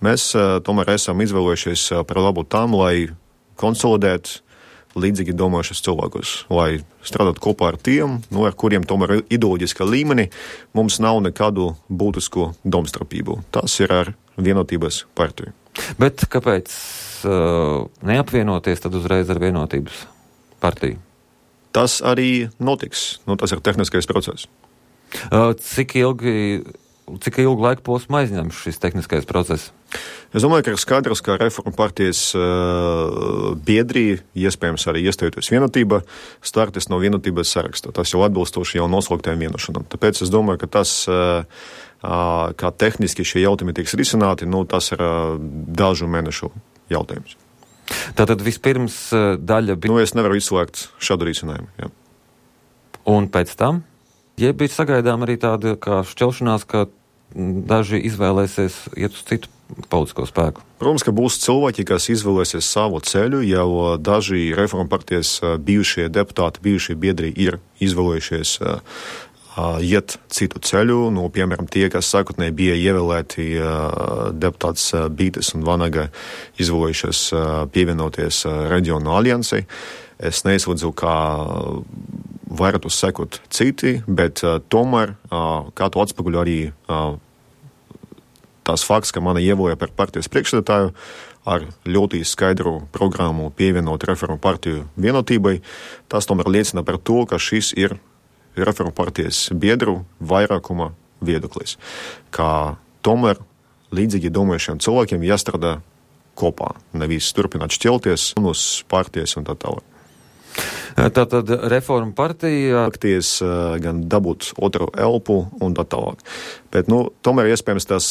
Mēs tomēr esam izvēlējušies par labu tam, lai konsolidētu līdzīgi domājušas cilvēkus, lai strādātu kopā ar tiem, ar kuriem tomēr ideoloģiskā līmenī mums nav nekādu būtisku domstarpību. Tas ir ar Vienotības partiju. Bet kāpēc neapvienoties tad uzreiz ar Vienotības partiju? Tas arī notiks. Tas ir tehniskais process. Cik ilgu laiku posmu aizņem šis tehniskais process? Es domāju, ka ir skaidrs, ka Reformu partijas biedri, iespējams arī iestājoties Vienotībā, startēs no Vienotības saraksta. Tas jau atbilstoši jau noslēgtajām vienošanām. Tāpēc es domāju, ka tas, kā tehniski šie jautājumi tiks risināti, tas ir dažu mēnešu jautājums. Tātad vispirms daļa bija... Es nevaru izslēgt šādu risinājumu. Jā. Un pēc tam? Ja bija sagaidām arī tāda kā šķelšanās, ka daži izvēlēsies iet uz citu politisko spēku. Protams, ka būs cilvēki, kas izvēlēsies savu ceļu, jau daži Reformu partijas bijušie deputāti, bijušie biedri ir izvēlējušies iet citu ceļu. Piemēram, tie, kas sākotnēji bija ievēlēti deputāts Bītes un Vanaga, izvēlējušies pievienoties Reģionu aliansei. Es neizlūdzu, kā varētu sekot citi, bet tomēr, kā to atspoguļo arī tās fakts, ka mani ievēlēja par partijas priekšsēdētāju ar ļoti skaidru programmu pievienot Reformu partiju Vienotībai, tas tomēr liecina par to, ka šis ir Reformu partijas biedru vairākuma viedoklis, ka tomēr līdzīgi domājušiem cilvēkiem jāstrādā kopā, nevis turpināt šķelties uz partijas un tā tālāk. Tātad Reformu partija akties gan dabūt otru elpu un tā tālāk. Bet, tomēr iespējams tās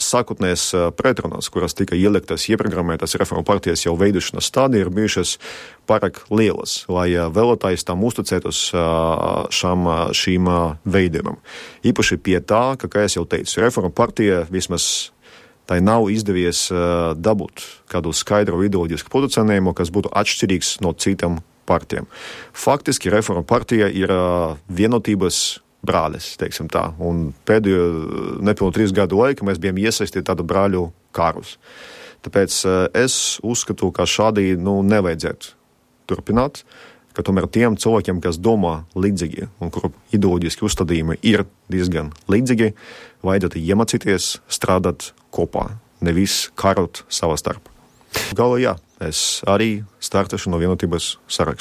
sākotnēs pretrunas, kuras tika ieliktas ieprogrammētas Reformu partijas jau veidošanas stadijā, ir bijušas pārāk lielas, lai vēlētājs tam uzticētos šīm veidojumam. Īpaši pie tā, kā es jau teicu, Reformu partija vismaz tai nav izdevies dabūt kādu skaidru ideoloģisku pozicionējumu, kas būtu atšķirīgs no citām partijām. Faktiski Reformu partija ir Vienotības brālis, teiksim tā, un pēdējo nepilnu 3 gadu laiku mēs bijām iesaistīti tādu brāļu karus. Tāpēc es uzskatu, ka šādi nevajadzētu turpināt, ka tomēr tiem cilvēkiem, kas domā līdzīgi un kuru ideoloģiski uzstādījumi ir diezgan līdzīgi, vajadzētu iemācīties strādāt kopā, nevis karot savā starpā. Galā jā, es arī startēšu no Vienotības saraksta.